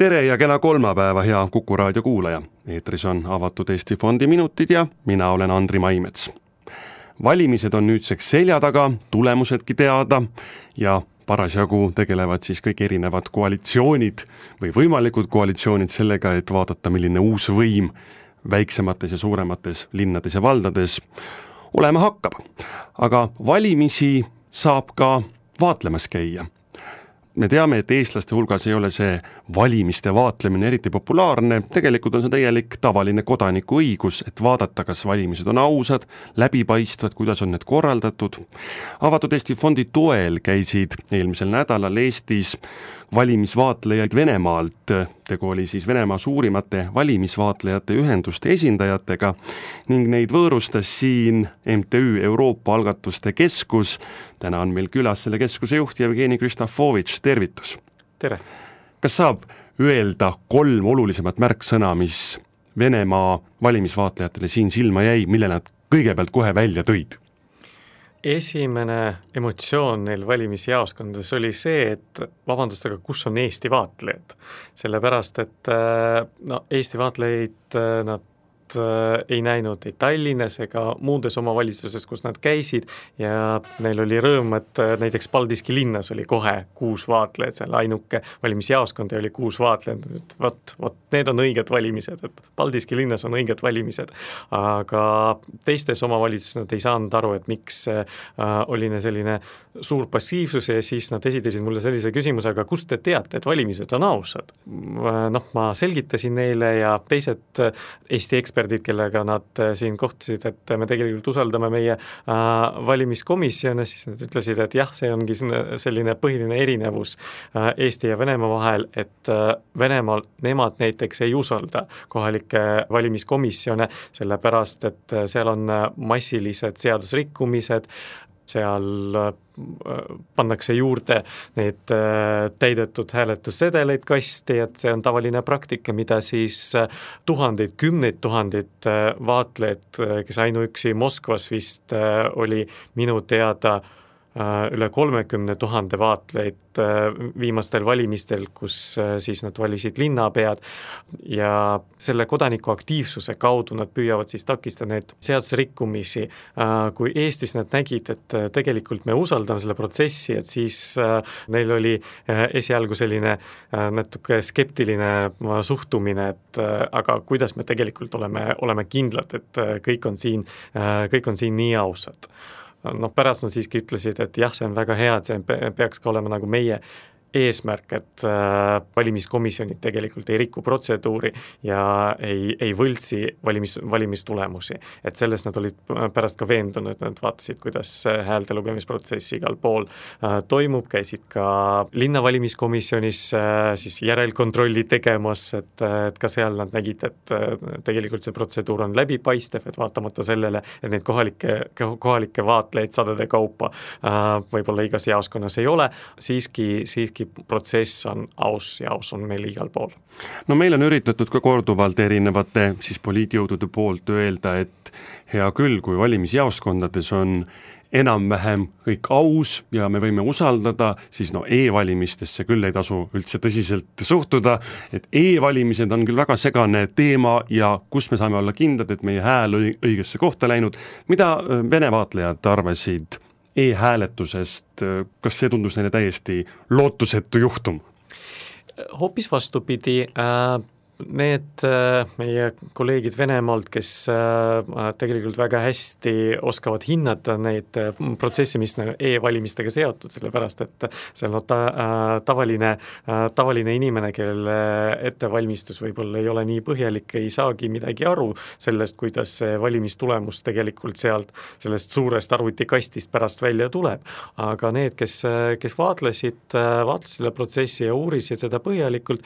Tere ja kena kolmapäeva, hea Kuku raadio kuulaja. Eetris on avatud Eesti Fondi minutid ja mina olen Andri Maimets. Valimised on nüüdseks selja taga, tulemusedki teada ja parasjagu tegelevad siis kõik erinevad koalitsioonid või võimalikud koalitsioonid sellega, et vaadata, milline uus võim väiksemates ja suuremates linnades ja valdades olema hakkab. Aga valimisi saab ka vaatlemas käia. Me teame, et eestlaste hulgas ei ole see valimiste vaatlemine eriti populaarne, tegelikult on see täielik tavaline kodaniku õigus, et vaadata, kas valimised on ausad, läbipaistvad, kuidas on need korraldatud. Avatud Eesti Fondi toel käisid eelmisel nädalal Eestis valimisvaatlejaid Venemaalt, tegu oli siis Venemaa suurimate valimisvaatlejate ühenduste esindajatega ning neid võõrustas siin MTÜ Euroopa Algatuste Keskus. Täna on meil külas selle keskuse juht Jevgeni Kristofovitš, tervitus! Tere! Kas saab öelda 3 olulisemat märksõna, mis Venemaa valimisvaatlejatele siin silma jäi, mille nad kõigepealt kohe välja tõid? Esimene emotsioon neil valimisjaoskondades oli see, et vabandust, aga kus on Eesti vaatlejad? Sellepärast, et Eesti vaatlejaid nad ei näinud ei Tallinnas ega muudes omavalitsuses, kus nad käisid ja neil oli rõõm, et näiteks Paldiski linnas oli kohe 6 vaatlejad, seal ainuke valimisjaoskond oli 6 vaatlejad, et vot, need on õiged valimised, et Paldiski linnas on õiged valimised, aga teistes omavalitsuses nad ei saanud aru, et miks oli selline suur passiivsus ja siis nad esitasid mulle sellise küsimuse, aga kust te teate, et valimised on ausad? Ma selgitasin neile ja teised Eesti eksperdid, kellega nad siin kohtusid, et me tegelikult usaldame meie valimiskomisjone, siis nad ütlesid, et jah, see ongi selline põhiline erinevus Eesti ja Venemaa vahel, et Venemaal nemad näiteks ei usalda kohalikke valimiskomisjone, sellepärast, et seal on massilised seadusrikkumised, seal pannakse juurde neid täidetud hääletussedeleid kasti, et see on tavaline praktika, mida siis tuhandeid, kümneid tuhandeid vaatlejad, kes ainuüksi Moskvas vist oli minu teada üle 30 000 vaatleid viimastel valimistel, kus siis nad valisid linnapead ja selle kodaniku aktiivsuse kaudu nad püüavad siis takistada neid seadusrikkumisi. Kui Eestis nad nägid, et tegelikult me usaldame selle protsessi, et siis neil oli esialgu selline natuke skeptiline suhtumine, et aga kuidas me tegelikult oleme kindlad, et kõik on siin nii ausad. Pärast nad siiski ütlesid, et jah, see on väga hea, et see peaks ka olema nagu meie eesmärk, et valimiskomisjonid tegelikult ei riku protseduuri ja ei võltsi valimistulemusi. Et sellest nad olid pärast ka veendunud, et nad vaatasid, kuidas häälte lugemisprotsess igal pool toimub, käisid ka linnavalimiskomisjonis siis järelkontrolli tegemas, et ka seal nad nägid, et tegelikult see protseduur on läbipaistev, et vaatamata sellele, et neid kohalikke vaatlejaid sadade kaupa võib-olla igas jaoskonnas ei ole, siiski protsess on aus ja aus on meil igal pool. Meil on üritatud ka korduvalt erinevate siis poliitjõudude poolt öelda, et hea küll, kui valimisjaoskondades on enam-vähem kõik aus ja me võime usaldada, siis e-valimistesse küll ei tasu üldse tõsiselt suhtuda, et e-valimised on küll väga segane teema ja kus me saame olla kindlad, et meie hääl õigesse kohta läinud. Mida Vene vaatlejad arvasid e-hääletusest, kas see tundus neile täiesti lootusetu juhtum? Hoopis vastupidi, need meie kolleegid Venemaalt, kes tegelikult väga hästi oskavad hinnata neid protsesse, mis e-valimistega seotud, sellepärast, et seal on tavaline inimene, kelle ettevalmistus võib-olla ei ole nii põhjalik, ei saagi midagi aru sellest, kuidas see valimistulemus tegelikult sellest suurest arvutikastist pärast välja tuleb. Aga need, kes vaatlesid selle protsessi ja uurisid seda põhjalikult,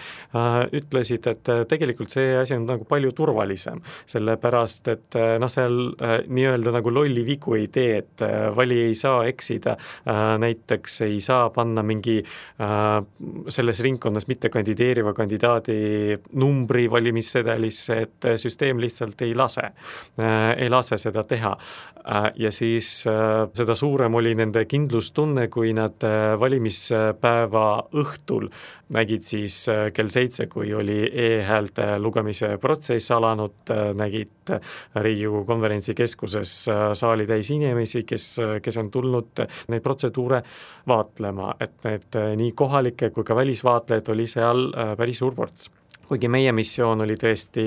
ütlesid, et tegelikult see asi on nagu palju turvalisem, sellepärast et seal nii-öelda nagu lolli vigu ei tee, et valija ei saa eksida, näiteks ei saa panna mingi selles ringkonnas mitte kandideeriva kandidaadi numbri valimissedelisse, et süsteem lihtsalt ei lase seda teha. Ja siis seda suurem oli nende kindlustunne, kui nad valimispäeva õhtul nägid siis kell 7, kui oli e-häälte lugemise protsess alanud, nägid Riigikogu konverentsikeskuses saali täis inimesi, kes on tulnud neid protseduure vaatlema, et need nii kohalikke kui ka välisvaatlejad oli seal päris suur ports. Kuigi meie missioon oli tõesti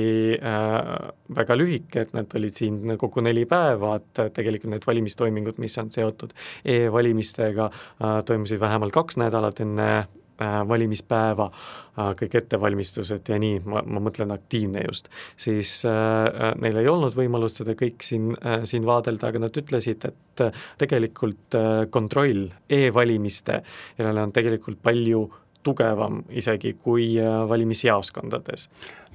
väga lühike, et nad olid siin kokku 4 päeva, et tegelikult need valimistoimingud, mis on seotud e-valimistega, toimusid vähemalt 2 nädalat enne valimispäeva, kõik ettevalmistused ja nii, ma mõtlen aktiivne just, siis neil ei olnud võimalust seda kõik siin vaadelda, aga nad ütlesid, et tegelikult kontroll e-valimiste järele on tegelikult palju tugevam isegi kui valimisjaoskondades.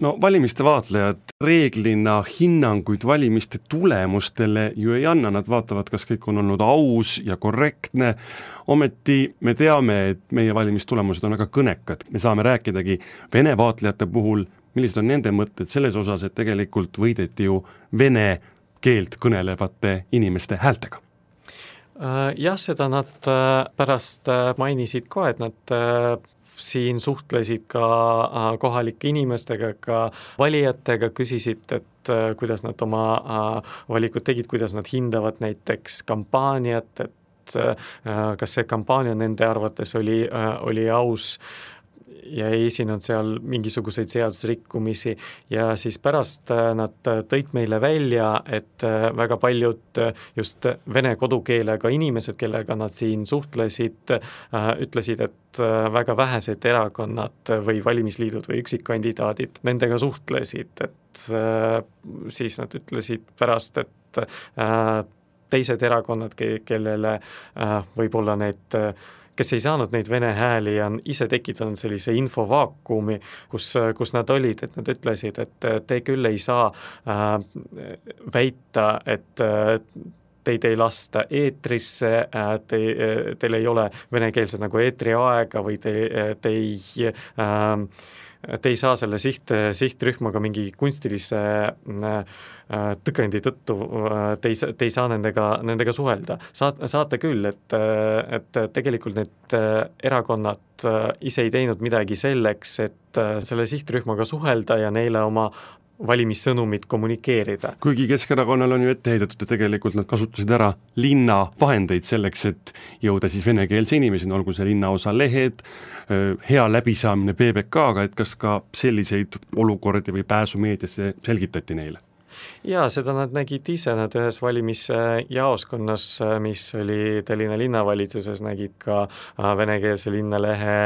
No valimiste vaatlejad reeglina hinnanguid valimiste tulemustele ju ei anna, nad vaatavad, kas kõik on olnud aus ja korrektne, ometi me teame, et meie valimistulemused on väga kõnekad, me saame rääkidagi Vene vaatlejate puhul, millised on nende mõtted selles osas, et tegelikult võideti ju vene keelt kõnelevate inimeste häältega. Jah, seda nad pärast mainisid ka, et nad siin suhtlesid ka kohalike inimestega, ka valijatega, küsisid, et kuidas nad oma valikud tegid, kuidas nad hindavad näiteks kampaaniat, et kas see kampaania nende arvates oli aus ja ei esinenud seal mingisuguseid seadusrikkumisi ja siis pärast nad tõid meile välja, et väga paljud just vene kodukeelega inimesed, kellega nad siin suhtlesid, ütlesid, et väga vähesed erakonnad või valimisliidud või üksikkandidaadid nendega suhtlesid, et siis nad ütlesid pärast, et teised erakonnad, kellele võib-olla kes ei saanud neid vene hääli, on ise tekitanud sellise infovaakumi, kus nad olid, et nad ütlesid, et te küll ei saa väita, et teid ei lasta eetrisse, teil ei ole venekeelsed nagu eetriaega või te ei saa selle sihtrühmaga mingi kunstilise tõkendi tõttu, te ei saa nendega suhelda. Saate küll, et tegelikult need erakonnad ise ei teinud midagi selleks, et selle sihtrühmaga suhelda ja neile oma valimissõnumit kommunikeerida. Kuigi Keskerakonnal on ju ette heidetud, et tegelikult nad kasutasid ära linna vahendeid selleks, et jõuda siis venekeelse inimeseni, olgu see linnaosa lehed, hea läbisaamine PBK-ga, et kas ka selliseid olukordi või pääsu meediasse selgitati neile? Jaa, seda nad nägid ise, nad ühes valimisjaoskonnas, mis oli Tallinna linnavalitsuses, nägid ka venekeelse linnalehe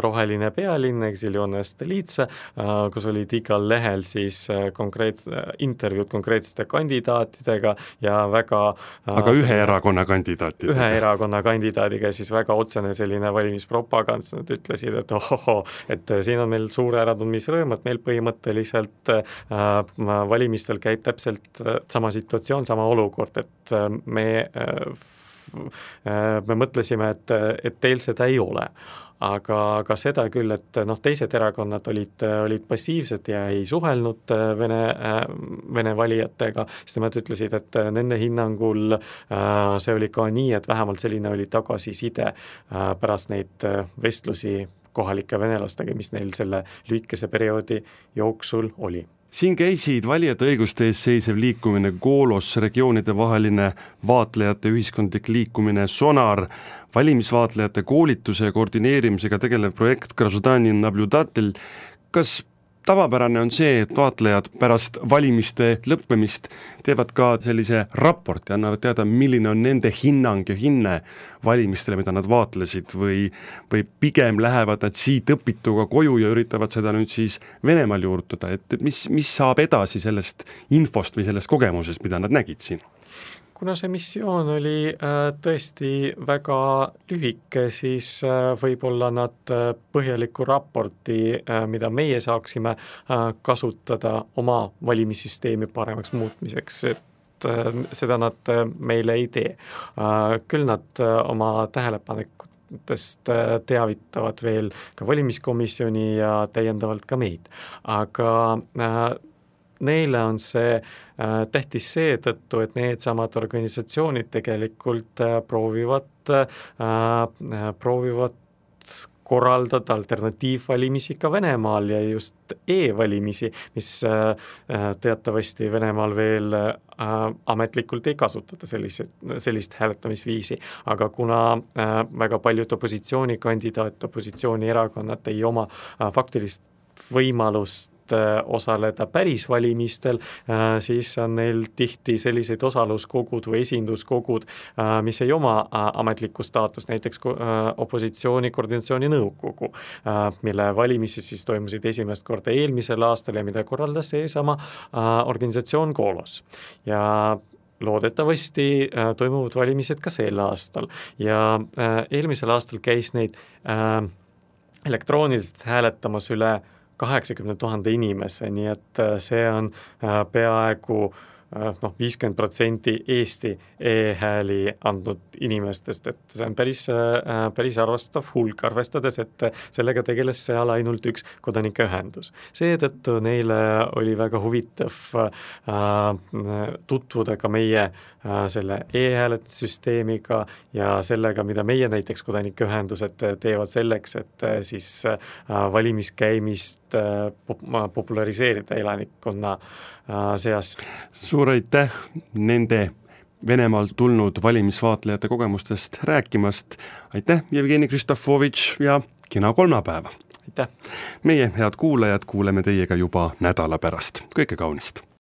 Roheline pealinn, Exilione Stolitsa, kus olid igal lehel siis intervjuud konkreetsete kandidaatidega ja väga aga ühe erakonna kandidaatidega. Ühe erakonna kandidaadiga siis väga otsene selline valimispropagand, nad ütlesid, et et siin on meil suure äratundmisrõõm, et meil põhimõtteliselt valimistel käib täpselt sama situatsioon, sama olukord, et me mõtlesime, et teil seda ei ole. Aga seda küll, et teised erakonnad olid passiivsed ja ei suhelnud vene valijatega, siis nemad ütlesid, et nende hinnangul see oli ka nii, et vähemalt selline oli tagasiside pärast neid vestlusi kohalike venelastega, mis neil selle lühikese perioodi jooksul oli. Siin käisid valijate õiguste ees seisev liikumine Goolos, regioonide vaheline vaatlejate ühiskondlik liikumine Sonar, valimisvaatlejate koolituse ja koordineerimisega tegelev projekt Grazdanin Nabljudatel. Kas tavapärane on see, et vaatlejad pärast valimiste lõppemist teevad ka sellise raporti, annavad teada, milline on nende hinnang ja hinne valimistele, mida nad vaatlesid või pigem lähevad nad siit õpituga koju ja üritavad seda nüüd siis Venemaal juurutada, et mis saab edasi sellest infost või sellest kogemusest, mida nad nägid siin? kuna see missioon oli tõesti väga lühike, siis võib-olla nad põhjaliku raporti, mida meie saaksime kasutada oma valimissüsteemi paremaks muutmiseks, et seda nad meile ei tee. Küll nad oma tähelepanekutest teavitavad veel ka valimiskomisjoni ja täiendavalt ka meid, aga neile on see tähtis seetõttu, et need samad organisatsioonid tegelikult proovivad korraldada alternatiivvalimisi ka Venemaal ja just e-valimisi, mis teatavasti Venemaal veel ametlikult ei kasutata sellist hääletamisviisi, aga kuna väga paljud opositsioonierakonnad ei oma faktilist võimalust osaleda päris valimistel, siis on neil tihti selliseid osaluskogud või esinduskogud, mis ei oma ametlikku staatust, näiteks opositsiooni koordinatsiooni nõukogu, mille valimised siis toimusid esimest korda eelmisel aastal ja mida korraldas seesama organisatsioon Golos. Ja loodetavasti toimuvad valimised ka sel aastal ja eelmisel aastal käis neid elektrooniliselt hääletamas üle 80 000 inimese, nii et see on peaaegu 50% Eesti e-hääli andnud inimestest, et see on päris arvestav hulk, arvestades, et sellega tegeles seal ainult üks kodanikeühendus. Seetõttu neile oli väga huvitav tutvuda ka meie selle e-hääletussüsteemiga ja sellega, mida meie näiteks kodanikeühendused teevad selleks, et siis valimiskäimist populariseerida elanikkonna seas. Suur aitäh nende Venemaalt tulnud valimisvaatlejate kogemustest rääkimast. Aitäh, Jevgeni Kristofovitš ja kena kolmapäeva. Aitäh. Meie head kuulajad kuuleme teiega juba nädala pärast. Kõike kaunist.